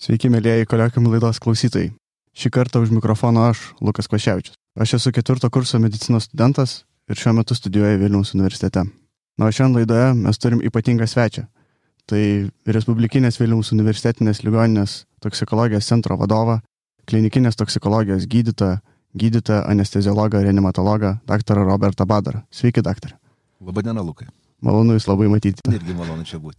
Sveiki, mėlyjeji Koliokvium laidos klausytojai. Šį kartą už mikrofono aš, Lukas Kvaševičius. Aš esu 4 kurso medicinos studentas ir šiuo metu studijuoju Vilniaus universitete. Na, o šiandien laidoje mes turim ypatingą svečią. Tai Respublikinės Vilniaus universitetinės ligoninės toksikologijos centro vadovą, klinikinės toksikologijos gydytoją anesteziologą, reanimatologą, daktarą Robertą Badarą. Sveiki, daktarė. Labadiena, Lukai. Malonu Jūs labai matyti. Irgi malonu čia būti.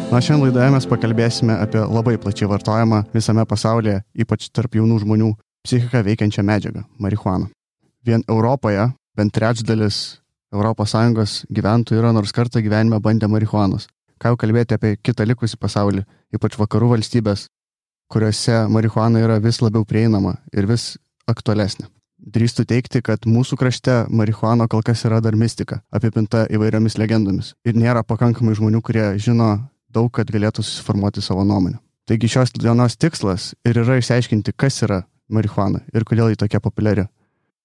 Na, šiandien laidoje mes pakalbėsime apie labai plačiai vartojamą visame pasaulyje, ypač tarp jaunų žmonių, psichiką veikiančią medžiagą – marihuaną. Vien Europoje bent trečdalis ES gyventojų yra nors kartą gyvenime bandę marihuanos. Ką jau kalbėti apie kitą likusį pasaulį, ypač vakarų valstybės, kuriuose marihuana yra vis labiau prieinama ir vis aktualesnė. Drįstu teigti, kad mūsų krašte marihuana kol kas yra dar mistika, apipinta įvairiomis legendomis. Ir nėra pakankamai žmonių, kurie žino daug, kad galėtų susiformuoti savo nuomonę. Taigi šios dienos tikslas ir yra išsiaiškinti, kas yra marihuana ir kodėl ji tokia populiari.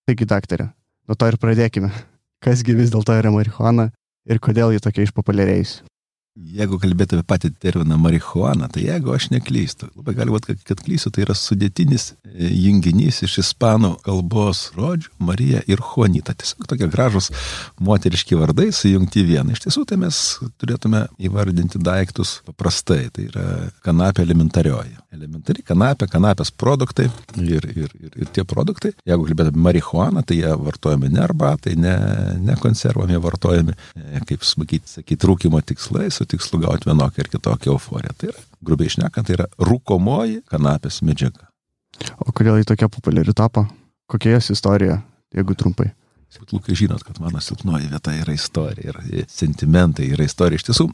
Taigi, daktarė, nuo to ir pradėkime. Kasgi vis dėlto yra marihuana ir kodėl ji tokia išpopuliarėjusi? Jeigu kalbėtume apie patį terminą marihuana, tai jeigu aš neklystu, labai gali būti, kad klystu, tai yra sudėtinis junginys iš ispanų kalbos žodžių Marija ir Juanita. Tiesiog tokie gražus moteriški vardai sujungti vieną. Iš tiesų, tai mes turėtume įvardinti daiktus paprastai. Tai yra kanapė elementarioji. Elementari kanapė, kanapės produktai ir tie produktai. Jeigu kalbėtume apie marihuaną, tai jie vartojami ne arbatai, ne konservam, jie vartojami, kaip sakyti, rūkymo tikslais, su tikslu gauti vienokią ir kitokią euforiją. Tai yra, grubiai šnekant, tai yra rūkomoji kanapės medžiaga. O kodėl ji tokia populiari tapo? Kokia jos istorija, jeigu trumpai? Lukai, žinot, kad mano silpnoji vieta yra istorija ir sentimentai yra istorija. Iš tiesų,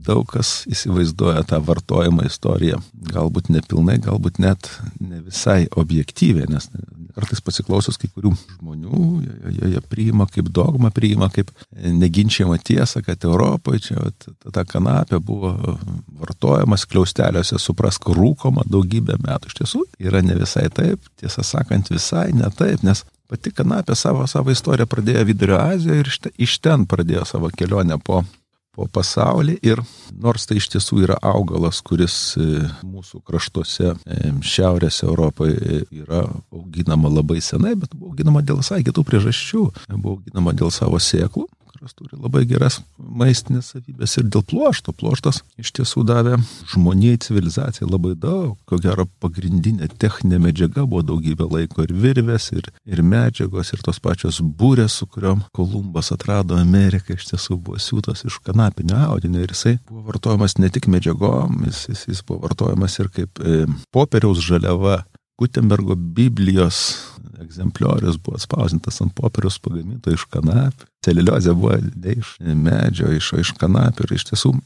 daug kas įsivaizduoja tą vartojimo istoriją, galbūt nepilnai, galbūt net ne visai objektyviai, nes kartais pasiklausius kai kurių žmonių, jie priima kaip dogmą, priima kaip neginčiamą tiesą, kad Europoje čia ta kanapė buvo vartojama skliausteliuose, suprask, rūkoma daugybę metų. Iš tiesų, yra ne visai taip, tiesą sakant, visai ne taip, nes pati kanapė savo istoriją pradėjo Vidurio Azijoje ir iš ten pradėjo savo kelionę po pasaulį. Ir nors tai iš tiesų yra augalas, kuris mūsų kraštuose šiaurės Europoje yra auginama labai senai, bet buvo auginama dėl visai kitų priežasčių. Buvo auginama dėl savo sėklų, kurios turi labai geras maistinės savybės, ir dėl pluošto. Pluoštas iš tiesų davė žmonijai, civilizacijai labai daug. Ko gero pagrindinė techninė medžiaga buvo daugybę laiko ir virvės, ir medžiagos, ir tos pačios burės, su kuriom Kolumbas atrado Ameriką, iš tiesų buvo siūtas iš kanapinio audinio, ir jisai buvo vartojamas ne tik medžiagom, jis buvo vartojamas ir kaip popieriaus žaliava. Gutenbergo Biblijos egzempliorius buvo atspausdintas ant popieriaus pagaminto iš kanapių. Celiuliozė buvo ne iš medžio, iš kanapių, ir iš tiesų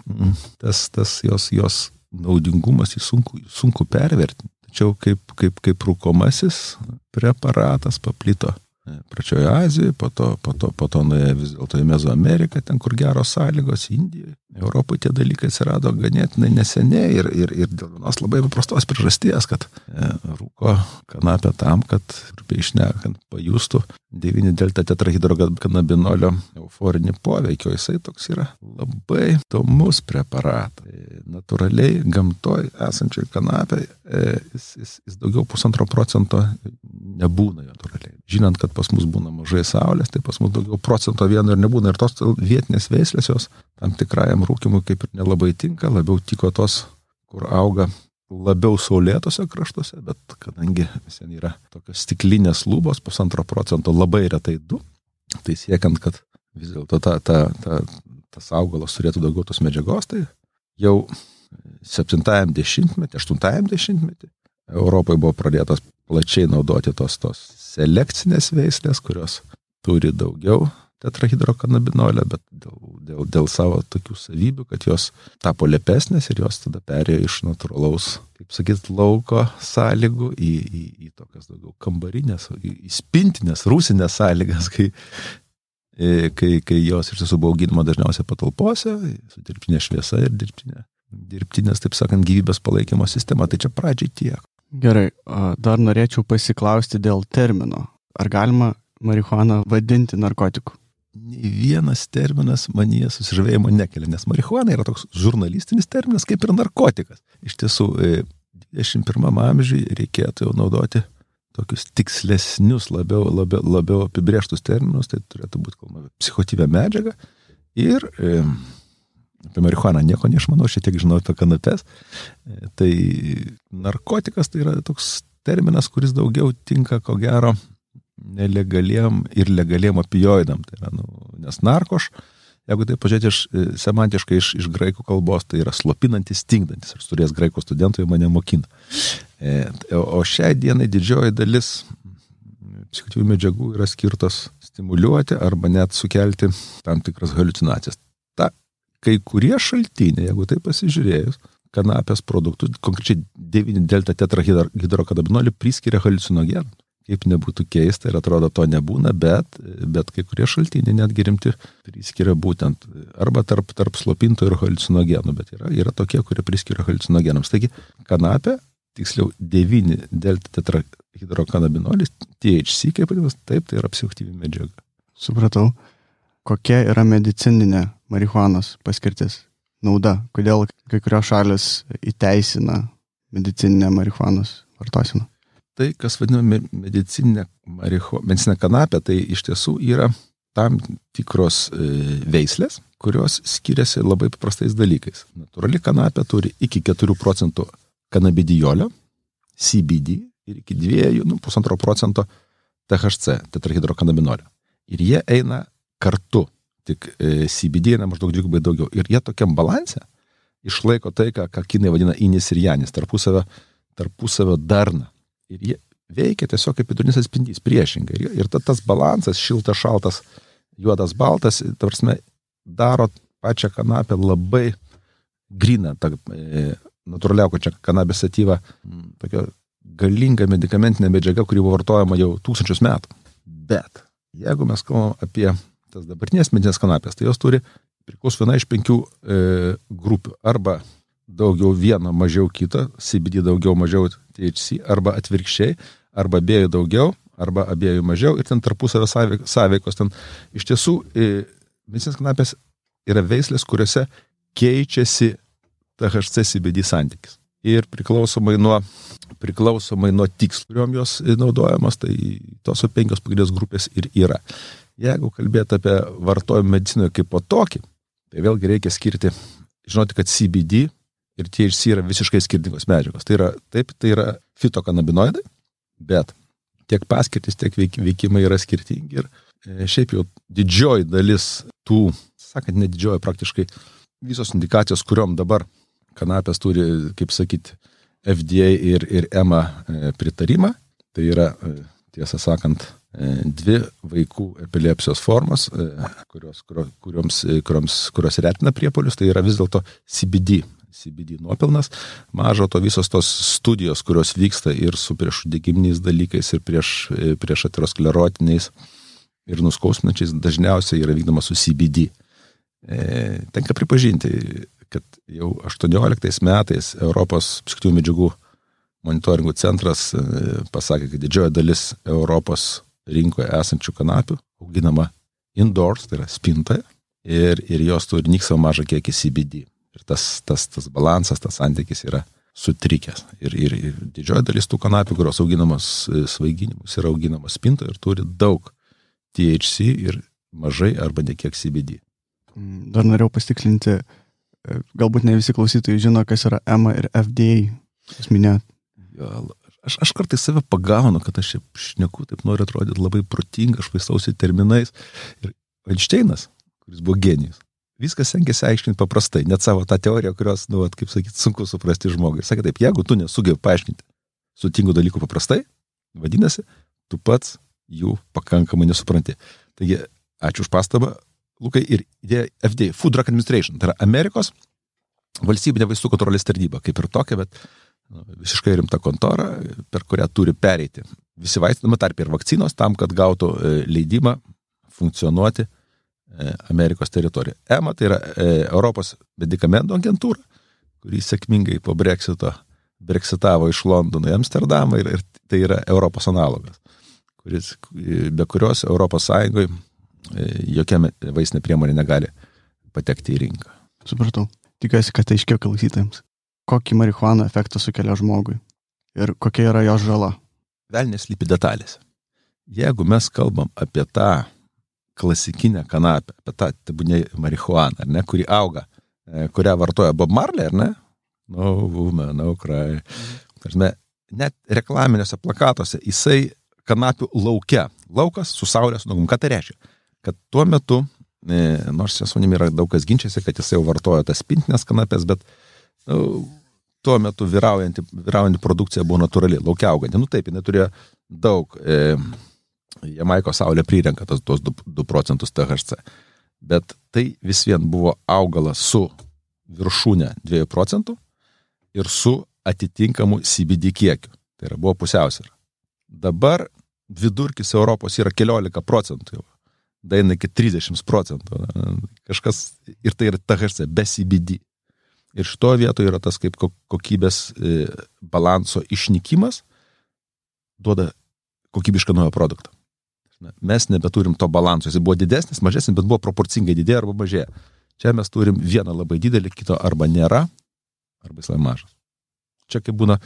tas jos naudingumas jį sunku pervertinti. Tačiau kaip rūkomasis preparatas paplito pradžioje Azijoje, po to nuėjo vis dėlto į Mezoameriką, ten kur geros sąlygos, Indijoje. Europoje tie dalykai atsirado ganėtinai neseniai ir dėl vienos labai paprastos priežasties, kad rūko kanapę tam, kad, grubiai šnekant, pajustų 9-delta-tetrahidrokanabinolio euforinį poveikį. Jisai toks yra labai įdomus preparatas. Natūraliai gamtoje esančiai kanapė jis daugiau 1,5% nebūna natūraliai. Žinant, kad pas mus būna mažai saulės, tai pas mus daugiau 1% ir nebūna. Ir tos vietinės veislės jos tam tikrajam rūkimui kaip ir nelabai tinka, labiau tiko tos, kur auga labiau saulėtose kraštuose, bet kadangi visien yra tokios stiklinės lubos, 1,5%, labai retai 2%, tai siekiant, kad vis dėlto tas augalas turėtų daugiau tos medžiagos, tai jau 70-ame, 80-ame Europoje buvo pradėtos plačiai naudoti tos selekcinės veislės, kurios turi daugiau tetrahidrokanabinolio, bet dėl savo tokių savybių, kad jos tapo lepesnės ir jos tada perėjo iš natūralaus, kaip sakyt, lauko sąlygų į tokias daugiau kambarinės, į spintinės, rūsinės sąlygas, kai jos iš tiesų buvo auginama dažniausiai patalpose, su dirbtinė šviesa ir dirbtinės, taip sakant, gyvybės palaikymo sistema. Tai čia pradžiai tiek. Gerai, dar norėčiau pasiklausti dėl termino. ar galima marihuaną vadinti narkotiku? Nei vienas terminas manyje susižavėjimo nekelia, nes marihuana yra toks žurnalistinis terminas kaip ir narkotikas. Iš tiesų, 21 amžiuje reikėtų jau naudoti tokius tikslesnius, labiau apibrėžtus terminus, tai turėtų būti kalbama psichotyvę medžiagą ir apie marihuaną nieko neišmanau, šiek tiek žinau apie kanapes. Tai narkotikas tai yra toks terminas, kuris daugiau tinka, ko gero, nelegaliem ir legaliem opioidam. Tai yra, nes narkoš, jeigu tai pažiūrėti semantiškai iš graikų kalbos, tai yra slopinantis, stingdantis. Aš turėjęs graikų studentų, jie mane mokina. O šiai dienai didžioji dalis psichotyvių medžiagų yra skirtos stimuliuoti arba net sukelti tam tikras haliucinacijas. Kai kurie šaltiniai, jeigu tai pasižiūrėjus, kanapės produktus, konkrečiai 9-delta tetrahidrokannabinolį priskiria haliucinogenų. Kaip nebūtų keista ir atrodo to nebūna, bet kai kurie šaltiniai netgi rimti priskiria būtent arba tarp slopinto ir haliucinogenų, bet yra tokie, kurie priskiria haliucinogenams. Taigi kanapė, tiksliau 9-delta tetrahidrokannabinolis, THC, kaip vadinamas, taip, tai yra psichoaktyvi medžiaga. Supratau. Kokia yra medicininė marihuanos paskirtis? Nauda? Kodėl kai kurios šalis įteisina medicininę marihuanos vartoseną? Tai, kas vadinama medicininė kanapė, tai iš tiesų yra tam tikros veislės, kurios skiriasi labai paprastais dalykais. Natūrali kanapė turi iki 4% kanabidijolio, CBD, ir iki 2,5% THC, tetrahidrokannabinolio. Ir jie eina kartu, tik CBD eina maždaug 2 daugiau. Ir jie tokiam balanse išlaiko tai, ką kinai vadina inis ir janis, tarpusavio darna. Ir jie veikia tiesiog kaip vidurinis atspindys, priešingai. Ir tas balansas, šiltas, šaltas, juodas, baltas, tarsime, daro pačią kanapę labai gryną, natūraliaukočią kanabės satyvą, tokia galinga medikamentinė medžiaga, kuri buvo vartojama jau 1000 metų. Bet jeigu mes kalbam apie tas dabartinės medinės kanapės, tai jos turi priklauso viena iš 5 grupių. Arba daugiau vieno, mažiau kito, CBD daugiau, mažiau THC, arba atvirkščiai, arba abiejų daugiau, arba abiejų mažiau, ir ten tarpusavio sąveikos. Ten iš tiesų medicinės kanapės yra veislės, kuriuose keičiasi THC CBD santykis. Ir priklausomai nuo tikslo, kuriuom jos naudojamos, tai tos 5 pagrindinės grupės ir yra. Jeigu kalbėti apie vartojimą medicinoje kaip po tokį, tai vėlgi reikia žinoti, kad CBD ir THC yra visiškai skirtingos medžiagos. Tai yra fitokanabinoidai, bet tiek paskirtis, tiek veikimai yra skirtingi. Ir šiaip jau didžioji dalis tų, sakant, ne didžioji, praktiškai visos indikacijos, kuriuom dabar kanapės turi, kaip sakyti, FDA ir EMA pritarimą, tai yra, tiesą sakant, 2 vaikų epilepsijos formos, kurios retina priepuolius, tai yra vis dėlto CBD nuopelnas. Mažo to visos tos studijos, kurios vyksta ir su priešuždegiminiais dalykais, ir prieš aterosklerotiniais ir nuskausminančiais, dažniausiai yra vykdoma su CBD. Tenka pripažinti, kad jau 18 metais Europos psichoaktyvių medžiagų monitoringų centras pasakė, kad didžioji dalis Europos rinkoje esančių kanapių auginama indoors, tai yra spintoje, ir jos turi nyksavo mažą kiekį CBD. Ir tas balansas, tas santykis yra sutrikęs. Ir didžioji dalis tų kanapių, kurios auginamos svaiginimus, yra auginamos spintoje ir turi daug THC ir mažai arba nekiek CBD. Dar norėjau pasitikslinti, galbūt ne visi klausytojai žino, kas yra EMA ir FDA. Jūs minėjot. Aš kartais save pagaunu, kad aš šneku, taip noriu atrodyti labai protinga, aš vaistausi terminais. Ir Einšteinas, kuris buvo genijus, viskas stengiasi aiškinti paprastai, net savo tą teoriją, kurios, kaip sakyti, sunku suprasti žmogui. Sakė taip, jeigu tu nesugebi paaiškinti sutingų dalykų paprastai, vadinasi, tu pats jų pakankamai nesupranti. Taigi, ačiū už pastabą, Lukai, ir FDA, Food Drug Administration, tai yra Amerikos valstybinė vaistų kontrolės tarnyba, kaip ir tokia, bet visiškai rimta kontora, per kurią turi pereiti visi vaistai, tarp ir vakcinos, tam, kad gautų leidimą funkcionuoti Amerikos teritorijoje. EMA tai yra Europos medikamentų agentūra, kuri sėkmingai po Brexitavo iš Londono į Amsterdamą, ir tai yra Europos analogas, be kurios Europos Sąjungoje jokia vaistinė priemonė negali patekti į rinką. Supratau. Tikiuosi, kad aiškiau klausytojams. Kokį marihuana efektą sukelia žmogui ir kokia yra jo žala? Velnias slypi detalės. Jeigu mes kalbam apie tą klasikinę kanapę, apie tą tebūnė marihuaną, ar ne, kuri auga, kurią vartoja Bob Marley, ar ne? No woman, no cry. Net reklaminiuose plakatuose jisai kanapių lauke. Laukas su saulės nugum. Ką tai reiškia? Kad tuo metu, nors su manimi yra daug kas ginčiasi, kad jisai jau vartojo tas pintinės kanapės, bet tuo metu vyraujanti produkcija buvo natūrali, laukia auganti. Taip, jinai turėjo daug, Jamaiko saulė prirenka tos 2% THC, bet tai vis vien buvo augalas su viršūnė 2% ir su atitinkamu CBD kiekiu. Tai yra buvo pusiausvyra. Dabar vidurkis Europos yra 14% jau. Daina iki 30%. Kažkas, ir tai yra THC, be CBD. Ir šito vietoje yra tas kaip kokybės balanso išnykimas duoda kokybišką naują produktą. Mes nebeturim to balanso. Jis buvo didesnis, mažesnis, bet buvo proporcingai didėja arba mažėja. Čia mes turim vieną labai didelį, kito arba nėra, arba jis labai mažas. Čia kaip būna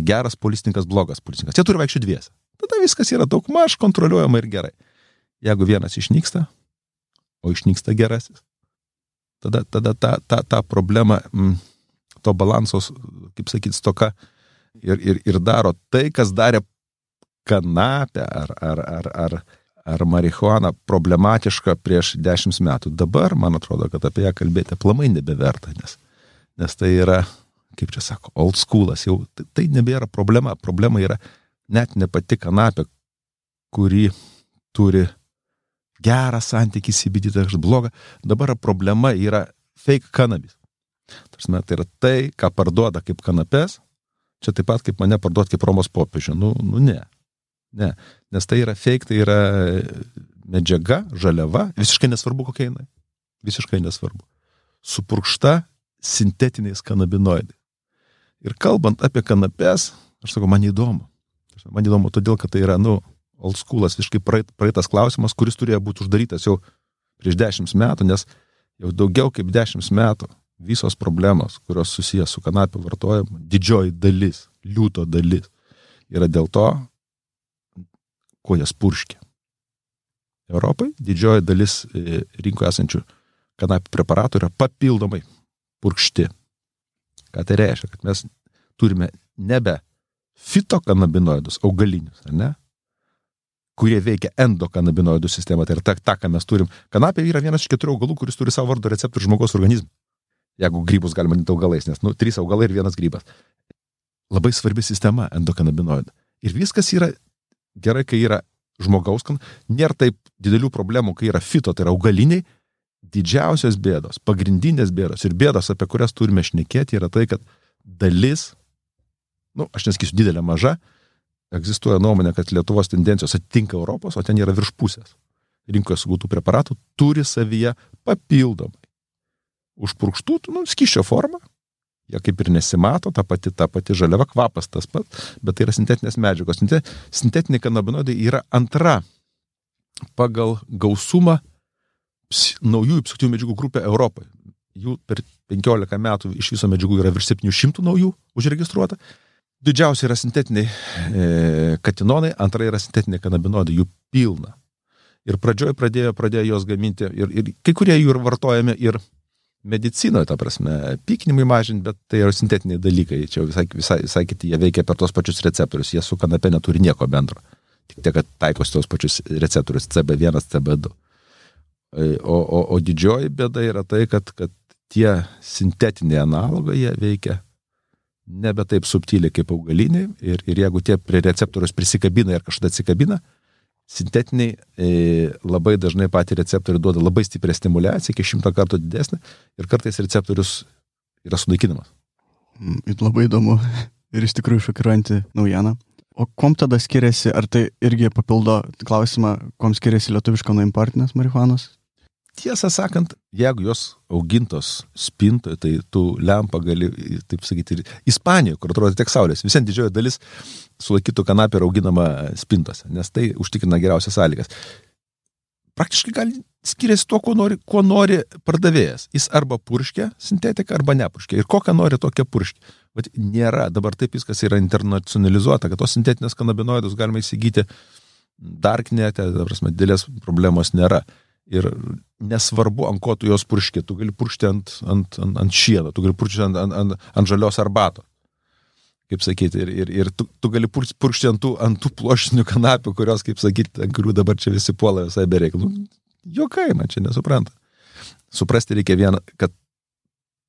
geras policininkas, blogas policininkas. Jie turi vaikščioti dviese. Tada viskas yra daug maž kontroliuojama ir gerai. Jeigu vienas išnyksta, o išnyksta gerasis, tada ta problema, to balansos, kaip sakyti, stoka ir daro tai, kas darė kanapę ar marihuaną problematišką prieš 10 metų. Dabar, man atrodo, kad apie ją kalbėti aplamai nebeverta, nes tai yra, kaip čia sako, old schoolas, jau tai nebėra problema. Problema yra net ne pati kanapė, kuri turi gerą santykį CBD, tai blogą. Dabar problema yra fake cannabis. Tai yra tai, ką parduoda kaip kanapės, čia taip pat kaip mane parduot kaip Romos popiežių. Ne. Nes tai yra fake, tai yra medžiaga, žaliava, visiškai nesvarbu kokia jinai. Visiškai nesvarbu. Supurkšta sintetiniais kanabinoidais. Ir kalbant apie kanapės, aš sakau, man įdomu. Man įdomu todėl, kad tai yra, old schoolas, visiškai praeitas klausimas, kuris turėjo būti uždarytas jau prieš 10 metų, nes jau daugiau kaip 10 metų visos problemos, kurios susijęs su kanapių vartojimu, didžioji dalis, liūto dalis, yra dėl to, ko jas purškia. Europai didžioji dalis rinkoje esančių kanapių preparatų yra papildomai purkšti. Ką tai reiškia? Kad mes turime nebe fitokanabinoidus, augalinius, ar ne? Kurie veikia endokanabinoidų sistemą. Tai yra ta, ką mes turim. Kanapė yra vienas iš 4 augalų, kuris turi savo vardo receptorių žmogaus organizmą. Jeigu grybus galima vadinti augalais, nes 3 augalai ir 1 grybas. Labai svarbi sistema endokanabinoidų. Ir viskas yra gerai, kai yra žmogaus, nėra taip didelių problemų, kai yra fito, tai yra augaliniai. Didžiausios bėdos, pagrindinės bėdos ir bėdos, apie kurias turime šnekėti, yra tai, kad dalis, aš nesakysiu didelė, maža, egzistuoja nuomonė, kad Lietuvos tendencijos atitinka Europos, o ten yra virš pusės. Rinkoje sugautų preparatų turi savyje papildomai užpurkštų, skysčio formą. Jie kaip ir nesimato, ta pati žaliava, kvapas tas pat, bet tai yra sintetinės medžiagos. Sintetiniai kanabinoidai yra antra pagal gausumą naujųjų psichoaktyvių medžiagų grupė Europoje. Jų per 15 metų iš viso medžiagų yra virš 700 naujų užregistruota. Didžiausia yra sintetiniai katinonai, antra yra sintetiniai kanabinoidai, jų pilna. Ir pradžioje pradėjo jos gaminti, ir kai kurie jų vartojami ir medicinoje, ta prasme, pykinimui mažinti, bet tai yra sintetiniai dalykai, čia visai kiti, jie veikia per tos pačius receptorius, jie su kanapė neturi nieko bendro, tik tiek, kad taikosi tos pačius receptorius CB1, CB2. O didžioji bėda yra tai, kad tie sintetiniai analogai, jie veikia nebe taip subtiliai kaip augaliniai ir jeigu tie prie receptorius prisikabina ir kažkada atsikabina, sintetiniai labai dažnai patį receptorių duoda labai stiprią stimuliaciją, iki 100 kartų didesnė ir kartais receptorius yra sunaikinamas. Labai įdomu ir iš tikrųjų šokiruojanti naujiena. O kuom tada skiriasi, ar tai irgi papildo klausimą, kuom skiriasi lietuviška nuo importinės marihuanos? tiesą sakant, jeigu jos augintos spintoje, tai tu lempą gali, taip sakyti, ir Ispanijoje, kur atrodo tiek saulės, visien didžioji dalis sulaikytų kanapė yra auginama spintose, nes tai užtikrina geriausias sąlygas. Praktiškai gali skiriasi tuo, kuo nori pardavėjas. Jis arba purškia sintetiką, arba nepurškia. Ir kokią nori tokią purškia. Bet nėra, dabar taip viskas yra internacionalizuota, kad tos sintetinės kanabinoidus galima įsigyti darknete, didelės problemos nėra. Ir nesvarbu, ant ko tu jos purški, tu gali puršti ant šieno, tu gali puršti ant žalios arbatos. Kaip sakyti, ir tu gali purkšti ant tų plošinių kanapių, kurios, kaip sakyti, ant kurių dabar čia visi puola visai bereikalų. Jokai, man čia nesupranta. Suprasti reikia vieną, kad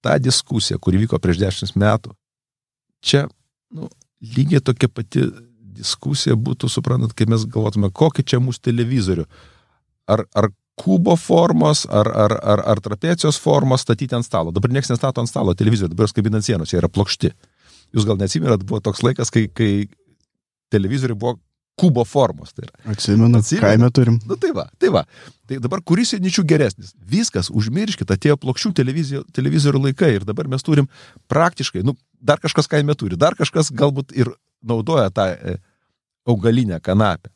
ta diskusija, kuri vyko prieš 10 metų, čia lygiai tokia pati diskusija būtų, suprantat, kai mes galvotume, kokį čia mūsų televizorių. Ar kubo formos, ar trapecijos formos statyti ant stalo. Dabar niekas nestato ant stalo televizorių, dabar jos kabina ant sienos, jie yra plokšti. Jūs gal neatsimenat, buvo toks laikas, kai televizoriai buvo kubo formos. Tai yra. Atsimenu, kaime turim. Tai va. Tai dabar kuris įničių geresnis? Viskas, užmirškit, atėjo plokščių televizorių laikai ir dabar mes turim praktiškai, dar kažkas kaime turi, dar kažkas galbūt ir naudoja tą augalinę kanapę.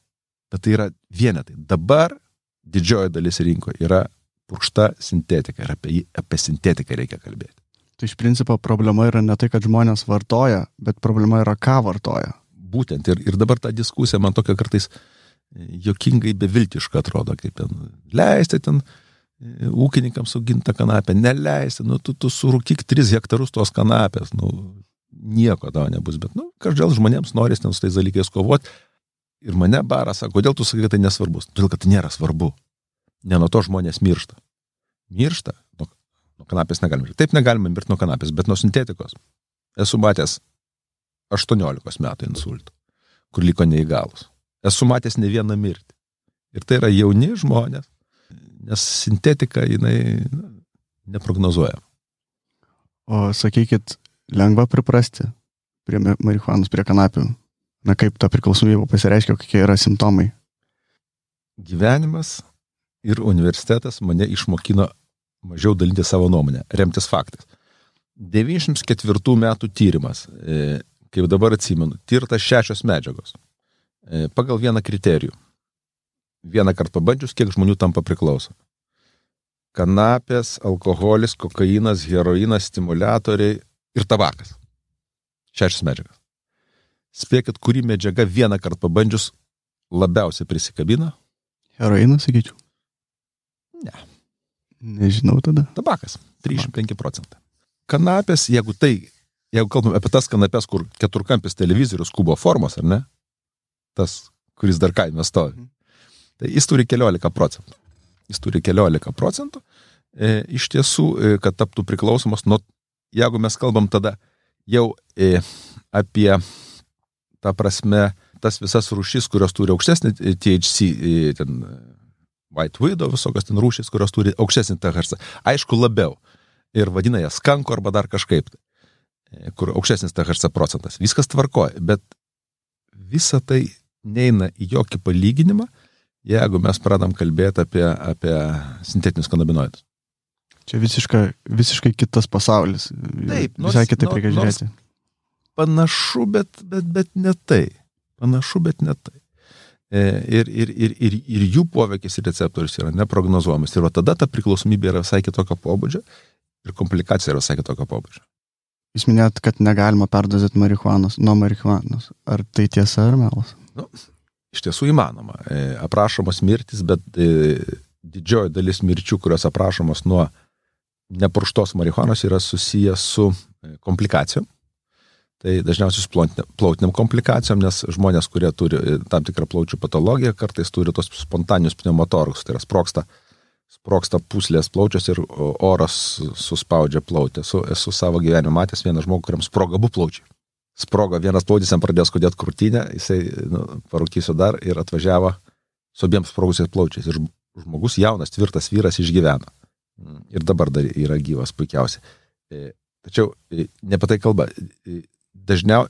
Bet tai yra vienetai. Dabar didžioji dalis rinkoje yra purkšta sintetika ir apie sintetiką reikia kalbėti. Tai iš principo problema yra ne tai, kad žmonės vartoja, bet problema yra, ką vartoja. Būtent. Ir dabar ta diskusija man tokia kartais jokingai beviltiška atrodo, kaip ten leisti ten ūkininkams auginti tą kanapę, neleisti, tu surūkyk 3 hektarus tos kanapės, nieko tau nebus, bet, kažkodėl žmonėms norės ten su tais dalykais kovoti. Ir mane baras sako, kodėl tu sakai, kad tai nesvarbus? Todėl, kad tai nėra svarbu. Ne nuo to žmonės miršta. Miršta. Nuo kanapės negalime. Taip negalime mirti nuo kanapės, bet nuo sintetikos. Esu matęs 18 metų insultų, kur liko neįgalus. Esu matęs ne vieną mirtį. Ir tai yra jauni žmonės, nes sintetika, jinai neprognozuoja. O sakykit, lengva priprasti prie marihuanos, prie kanapių. Kaip ta priklausomybė pasireiškia, kokie yra simptomai? Gyvenimas ir universitetas mane išmokino mažiau dalinti savo nuomonę, remtis faktais. 94 metų tyrimas, kaip dabar atsimenu, tirtas 6 medžiagos. Pagal vieną kriterijų. Vieną kartą pabandžius, kiek žmonių tampa priklauso. Kanapės, alkoholis, kokainas, heroinas, stimuliatoriai ir tabakas. 6 medžiagas. Spėkit, kuri medžiaga vieną kartą pabandžius labiausiai prisikabina? Heroinas, sakyčiau. Ne. Nežinau tada. Tabakas, 35%. Kanapės, jeigu kalbam apie tas kanapės, kur keturkampis televizorius kubo formos, ar ne? Tas, kuris dar kaime stovi. Tai jis turi 14%. Iš tiesų, kad taptų priklausomas, jeigu mes kalbam tada jau apie tą prasme, tas visas rūšis, kurios turi aukštesnį THC, ten White Widow, visokios ten rūšis, kurios turi aukštesnį THC. Aišku, labiau. Ir vadina jas skanko arba dar kažkaip, kur aukštesnis THC procentas. Viskas tvarkoja, bet visa tai neina į jokį palyginimą, jeigu mes pradam kalbėti apie sintetinius kanabinoidus. Čia visiškai kitas pasaulis. Taip, visai kitaip reikia žiūrėti. Panašu, bet ne tai. Ir jų poveikis ir receptorius yra neprognozuojamas. Ir tada ta priklausomybė yra visai kitokio pobūdžio ir komplikacija yra visai kitokio pobūdžio. Jūs minėjot, kad negalima perdozėti nuo marihuanos. Ar tai tiesa ar melas? Iš tiesų įmanoma. Aprašomos mirtis, bet didžioji dalis mirčių, kurios aprašomos nuo nepurkštos marihuanos, yra susijęs su komplikacijom. Tai dažniausiai su plautiniam komplikacijom, nes žmonės, kurie turi tam tikrą plaučių patologiją, kartais turi tos spontaninius pneumotorakus, tai yra sproksta pūslės plaučios ir oras suspaudžia plautę. Esu savo gyvenime matęs vieną žmogų, kuriam sproga abu plaučiai. Sprogo vienas plautis, jam pradėjo skaudėti krūtinę, jisai parūkysiu dar ir atvažiavo su abiems sprogusiais plaučiais. Ir žmogus jaunas, tvirtas vyras išgyveno. Ir dabar dar yra gyvas puikiausiai. Tačiau ne apie tai kalba. Dažniau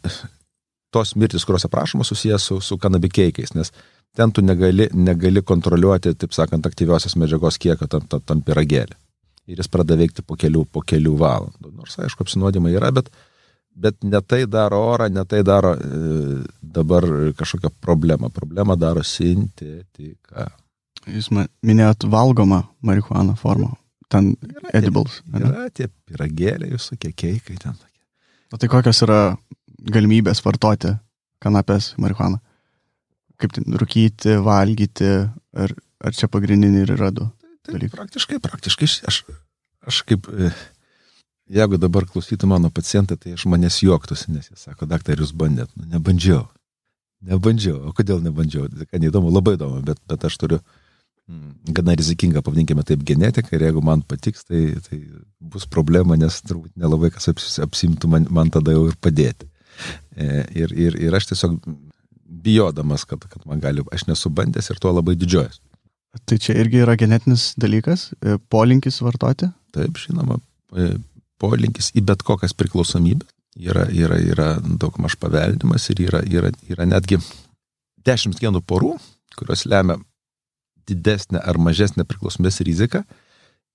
tos mirtis, kurios aprašomos, susijęs su kanabikeikais, nes ten tu negali kontroliuoti, taip sakant, aktyviosios medžiagos kiekio tam pyragėlį. Ir jis pradeda veikti po kelių valandų. Nors, aišku, apsinuodimai yra, bet ne tai daro orą, ne tai daro dabar kažkokią problemą. Problemą daro sintetika. Jūs minėjot valgomą marihuaną formą. Ten edibles. Yra tie pyragėliai, visokie keikai ten. O tai kokios yra galimybės vartoti kanapės marihuaną? Kaip ten rūkyti, valgyti, ar čia pagrindiniai ir yra du dalykai? Praktiškai aš kaip, jeigu dabar klausytų mano pacientai, tai aš manęs juoktųsi, nes jie sako, daktar, jūs bandėt. Nebandžiau. O kodėl nebandžiau? Tai neįdomu, labai įdomu, bet aš turiu gana rizikingą, pavadinkime taip, genetiką, ir jeigu man patiks, tai bus problema, nes turbūt nelabai kas apsimtų man tada jau ir padėti. Ir aš tiesiog bijodamas, kad man gali, aš nesu bandęs ir tuo labai didžiuojas. Tai čia irgi yra genetinis dalykas, polinkis vartoti? Taip, žinoma, polinkis į bet kokias priklausomybės yra daugmaž paveldimas ir yra netgi 10 genų porų, kurios lemia didesnę ar mažesnę priklausomybės riziką.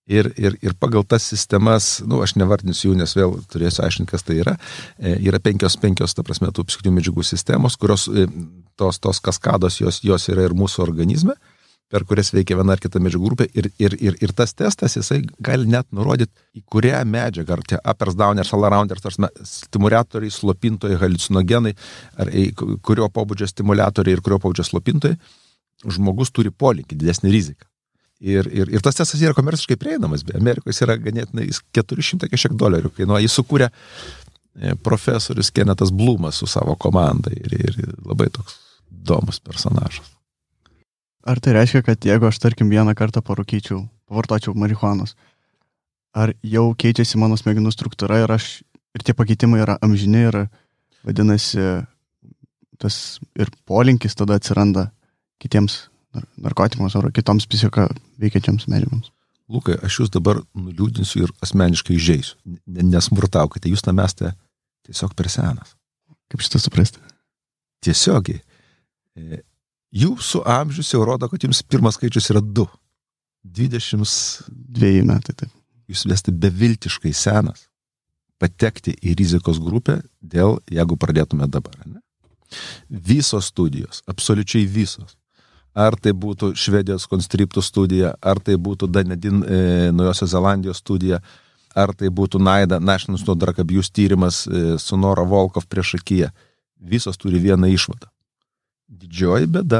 Ir pagal tas sistemas, aš nevardinsiu jų, nes vėl turėsiu aiškinti, kas tai yra. Yra penkios, ta prasme, tų psichinių medžiagų sistemos, kurios tos kaskados, jos yra ir mūsų organizme, per kurias veikia viena ar kita medžiagų grupė. Ir tas testas, jisai gali net nurodyti, į kurią medžiagą, ar tie uppers, downers, all-rounders, stimuliatoriai, slopintojai, haliucinogenai, ar kurio pobūdžio stimuliatoriai ir kurio pobūdžio slopintojai, žmogus turi polinkį, didesnį riziką. Ir tas testas yra komerciškai prieinamas, Amerikoje jis yra ganėtinai $400 kažkiek, kainuoja. Jis sukūrė profesorius Kennethas Blumas su savo komanda ir labai toks įdomus personažas. Ar tai reiškia, kad jeigu aš, tarkim, vieną kartą pavartočiau marihuanos, ar jau keičiasi mano smegenų struktūra ir tie pakeitimai yra amžini ir vadinasi, tas ir polinkis tada atsiranda kitiems narkotikams ar kitoms psichiką veikiančiams medžiagoms? Lukai, aš jūs dabar nuliūdinsiu ir asmeniškai įžeisiu. Nesmurtaukite, jūs tam esate tiesiog per senas. Kaip šitą suprasti? Tiesiogiai. Jūsų amžius jau rodo, kad jums pirmas skaičius yra 2. 22 metai, taip. Jūs esate beviltiškai senas patekti į rizikos grupę jeigu pradėtume dabar. Ne? Visos studijos, absoliučiai visos. Ar tai būtų Švedijos konstriptų studija, ar tai būtų Dunedin Naujosios Zelandijos studija, ar tai būtų NIDA, National Institute Drug Abuse tyrimas su Nora Volkov priešakyje. Visos turi vieną išvadą. Didžioji bėda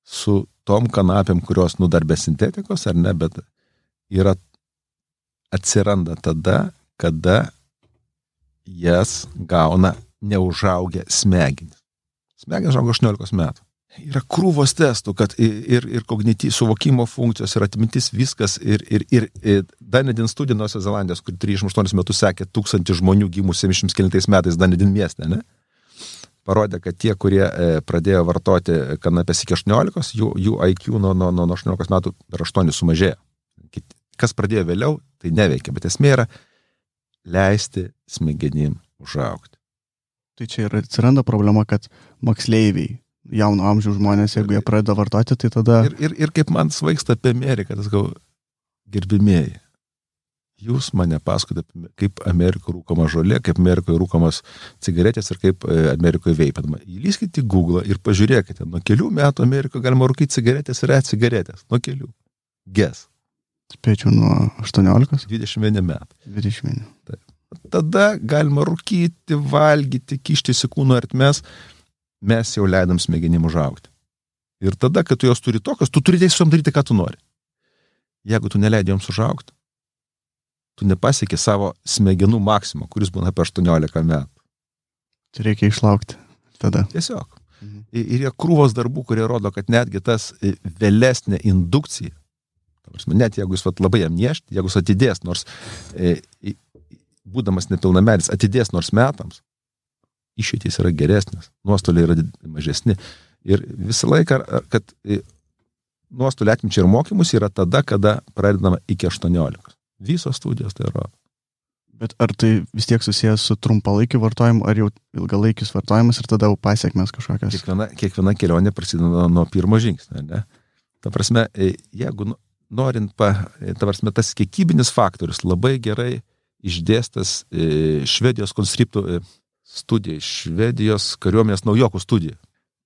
su tom kanapėm, kurios dar be sintetikos, ar ne, bet atsiranda tada, kada jas gauna neužaugę smegenys. Smegenys žauga 18 metų. Yra krūvos testų, kad ir suvokimo funkcijos, ir atmintis, viskas, ir Dunedin studija Naujosios Zelandijos, kur 38 metus sekė 1000 žmonių gimus 79 metais Dunedin mieste, ne? Parodė, kad tie, kurie pradėjo vartoti kanapės iki 18, jų IQ nuo 18 metų per 8 sumažėjo. Kas pradėjo vėliau, tai neveikia, bet esmė yra leisti smegenim užaugti. Tai čia ir atsiranda problema, kad moksleiviai, jauno amžiaus žmonės, jeigu jie pradeda vartoti, tai tada... Ir kaip man svaigsta apie Ameriką, tas gal gerbimieji. Jūs mane pasakote, kaip Amerikoje rūkoma žolė, kaip Amerikoje rūkomas cigaretės ir kaip Amerikoje veipinama. Įlyskite į Google ir pažiūrėkite, nuo kelių metų Amerikoje galima rūkyti cigaretės ir cigaretės. Nuo kelių. Guess. Spėčiau nuo 18? 21 metų. 21. Taip. Tada galima rūkyti, valgyti, kištis į kūno ertmes. Mes jau leidam smegenim užaugti. Ir tada, kad tu jos turi tokios, tu turi teisę daryti, ką tu nori. Jeigu tu neleidai joms užaugti, tu nepasieki savo smegenų maksimą, kuris būna apie 18 metų. Tai reikia išlaukti tada. Tiesiog. Ir jie krūvos darbų, kurie rodo, kad netgi tas vėlesnė indukcija, net jeigu jis labai jam niešti, jeigu jis atidės, nors būdamas nepilnametis, atidės nors metams, išeitys yra geresnis, nuostoliai yra mažesni. Ir visą laiką, kad nuostoliai atminčiai ir mokymus yra tada, kada pradedama iki 18. Visos studijos tai rodo. Bet ar tai vis tiek susijęs su trumpalaikiu vartojimu, ar jau ilgalaikis vartojimas ir tada jau pasiekmes kažkokios? Kiekviena kelionė prasideda nuo pirmo žingsnio, ne? Ta prasme, jeigu norint, ta prasme, tas kiekybinis faktorius labai gerai išdėstas Švedijos konstriptų studija, Švedijos kariuomenės naujokų studija,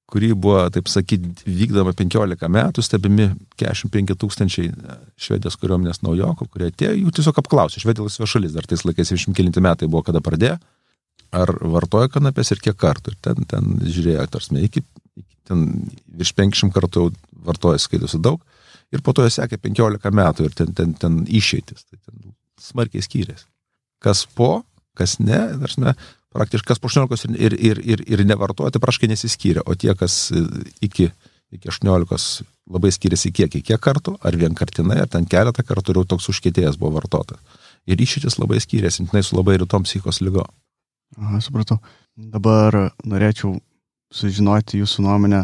kuri buvo, taip sakyti, vykdama 15 metų, stebimi 45 000 Švedijos kariuomenės naujokų, kurie atėjo, jų tiesiog apklausė. Švedija laisva šalis, dar tais laikais 29 metai buvo, kada pradėjo, ar vartoja kanapės ir kiek kartų. Ir ten žiūrėjo, tarsime, ten virš 500 kartų vartoja, skaitosi daug, ir po to jie sekė 15 metų ir ten išeitis. Tai ten smarkiai skyrėsi. Kas po, kas ne, tarsime, praktiškai kas po 18 ir nevartoja, tai praškai nesiskyrė, o tie, kas iki 18 labai skiriasi kiek kartų, ar vienkartinai, ar ten keletą kartų, ir jau toks užkietėjęs buvo vartotas. Ir išeitis labai skyrėsi, jinai su labai rytom psichikos lygo. Aha, supratau. Dabar norėčiau sužinoti jūsų nuomonę,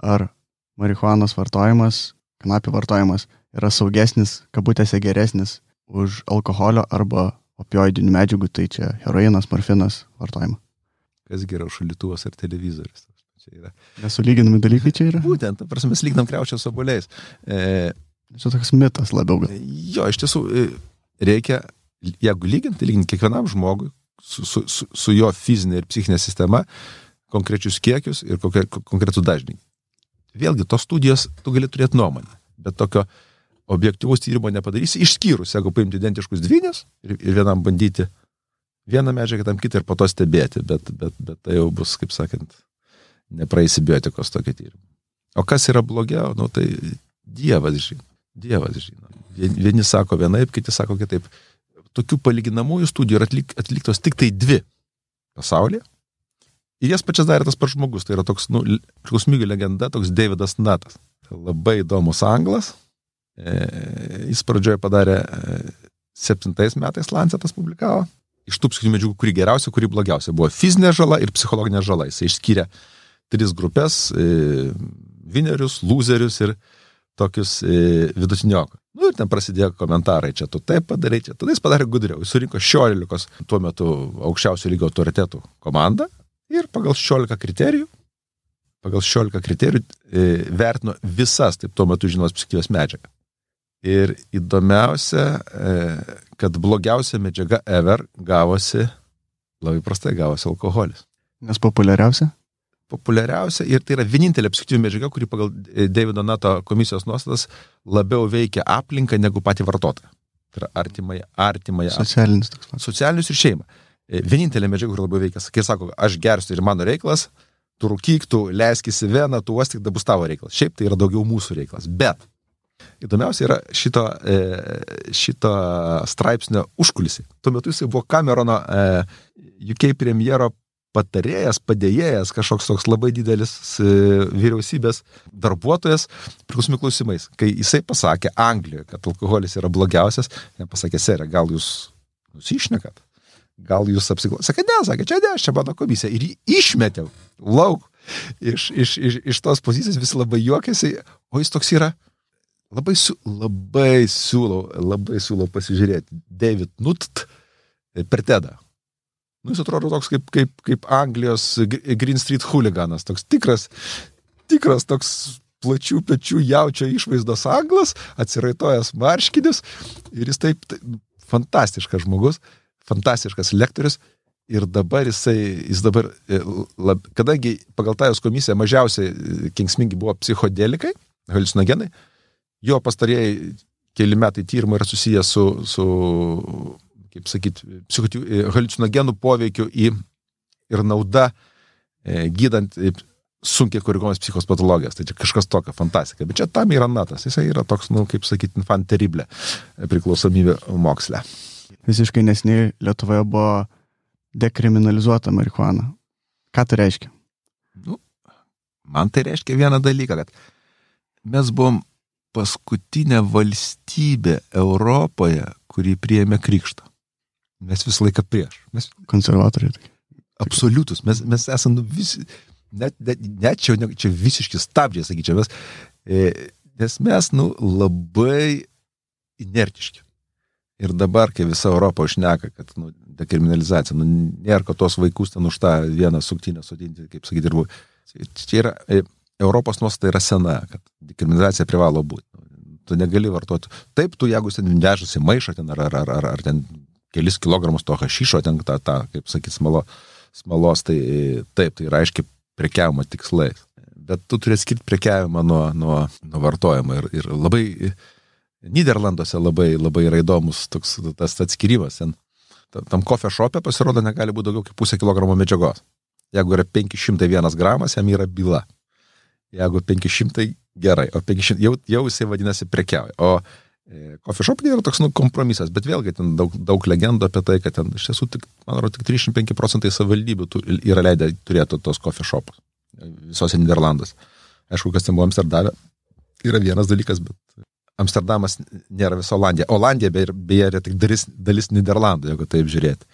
ar marihuanos vartojimas, kanapių vartojimas yra saugesnis, kabutėse geresnis už alkoholio arba opioidinių medžiagų, tai čia heroinas, morfinas vartojimą. Kas geriau, šaldytuvas ar televizorius? Čia yra. Nesulyginami dalykai čia yra? Būtent, prasme, mes lyginam kriaušę su obuoliais. Čia toks mitas labiau gal. Jo, iš tiesų, reikia, jeigu lyginti kiekvienam žmogui su jo fizinė ir psichinė sistema, konkrečius kiekius ir konkretų dažnį. Vėlgi, tos studijos tu gali turėti nuomonę, bet tokio objektyvaus tyrimo nepadarysi, išskyrus, jeigu paimti identiškus dvynius ir vienam bandyti vieną medžiagą, tam kitą ir po to stebėti, bet tai jau bus, kaip sakant, nepraeisi biotikos tokio tyrimo. O kas yra blogiau, nu tai Dievas žino. Vieni sako vienaip, kiti sako kitaip. Tokių palyginamųjų studijų yra atliktos tik tai 2 pasaulyje. Ir jas pačias darė tas pats žmogus. Tai yra toks, priklausomybių legenda, toks Davidas Nutas. Tai labai įdomus anglas. Jis pradžioje padarė 7 metais Lancetas publikavo. Iš tų psichinių medžiagų, kuri geriausia, kuri blogiausia. Buvo fizinė žala ir psichologinė žala. Jis išskyrė 3 grupės, vinerius, lūzerius ir tokius vidutiniokus. Nu ir ten prasidėjo komentarai, čia tu taip padarai, čia. Tada jis padarė gudriau. Jis surinko 16 tuo metu aukščiausio lygio autoritetų komandą ir pagal 16 kriterijų vertino visas, taip tuo metu žinomos psichikos medžiagas. Ir įdomiausia, kad blogiausia medžiaga ever gavosi alkoholis. Nes populiariausia? Populiariausia ir tai yra vienintelė psichikos medžiaga, kuri pagal Davido Nuto komisijos nuostatas labiau veikia aplinką negu patį vartotoją. Tai yra artimąją. Socialinis toks pats. Socialinius ir šeimą. Vienintelė medžiaga, kur labiau veikia. Kai sako, aš gersiu ir mano reikalas, tu rūkyk, tu leiskis į veną, tu uostik, da bus tavo reikalas. Šiaip tai yra daugiau mūsų reikalas. Bet įdomiausia yra šito straipsnio užkulisiai. Tuo metu jisai buvo Camerono UK premjero patarėjas, padėjėjas, kažkoks toks labai didelis vyriausybės darbuotojas priklausomai klausimais. Kai jisai pasakė Anglijoje, kad alkoholis yra blogiausias, jam pasakė, serė, gal jūs nusišnekat? Gal jūs apsiklausėte? Sakė, ne, čia mano komisija. Ir jį išmetė lauk iš tos pozicijos, visi labai juokėsi, o jis toks yra, labai siūlau pasižiūrėti. David Nutt per TEDą. Nu, jis atrodo toks kaip Anglijos Green Street hooliganas, toks tikras toks plačių pečių jaučio išvaizdos anglas, atsiraitojęs marškinis ir jis taip fantastiškas žmogus, fantastiškas lektorius ir dabar jis dabar, kadangi pagal tajos komisiją mažiausiai kenksmingi buvo psichodelikai, haliucinogenai, jo pastarieji keli metai tyrimai yra susiję su kaip sakyti, haliucinogenų poveikiu ir nauda gydant sunkiai koriguojamas psichikos patologijas. Tai čia kažkas tokio fantastika. Bet čia tam yra Nutas. Jisai yra toks, kaip sakyti, infant terrible priklausomybė moksle. Visiškai nesiniai Lietuvoje buvo dekriminalizuota marihuana. Ką tai reiškia? Man tai reiškia vieną dalyką, kad mes buvom paskutinė valstybė Europoje, kuri priėmė krikštą. Mes visą laiką prieš. Konservatoriai. Absoliutus. Mes esame visi, net čia visiški stabdžiai, sakyčiau, nes mes labai inertiški. Ir dabar, kai visa Europa užneka, kad dekriminalizacija, nėra, kad tos vaikus ten už tą vieną suktinę sodinti, kaip sakyti, čia yra, Europos nuostata yra sena, kad dekriminalizacija privalo būti. Tu negali vartoti. Taip, tu jeigu ten vežasi maišą ten, ar ten kelis kilogramus to hašišo, ten tą kaip sakyti, smalos, tai taip, tai yra aiškiai prekiavimo tikslais. Bet tu turi skirti prekiavimą nuo vartojimo ir labai Nyderlanduose labai yra įdomus toks tas atskirimas. Tam coffee shop'e pasirodo negali būti daugiau kaip 0,5 kilogramo medžiagos. Jeigu yra 501 gramas, jam yra byla. Jeigu 500, gerai, o 500 jau jisai vadinasi prekiauja. O coffee shop'e yra toks kompromisas, bet vėlgi ten daug legendų apie tai, kad ten iš tiesų tik 35% savivaldybių yra leidę turėti tos coffee shop'us visose Nyderlanduose. Aišku, kas ten buvo Amsterdame, yra vienas dalykas, bet Amsterdamas nėra visa Olandija. Olandija beje yra tik dalis Nyderlandų, jeigu taip žiūrėti.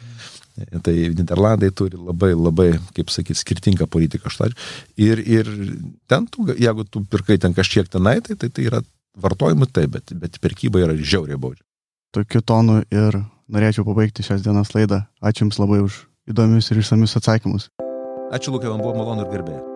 Tai Nyderlandai turi labai, kaip sakyti, skirtingą politiką. Ir ten, jeigu tu pirkai ten kažkiek tenai, tai yra vartojimui taip, bet prekyba yra žiauriai baudžia. Tokiu tonu ir norėčiau pabaigti šios dienos laidą. Ačiū Jums labai už įdomius ir išsamius atsakymus. Ačiū, Lukai, man buvo malonu ir garbė.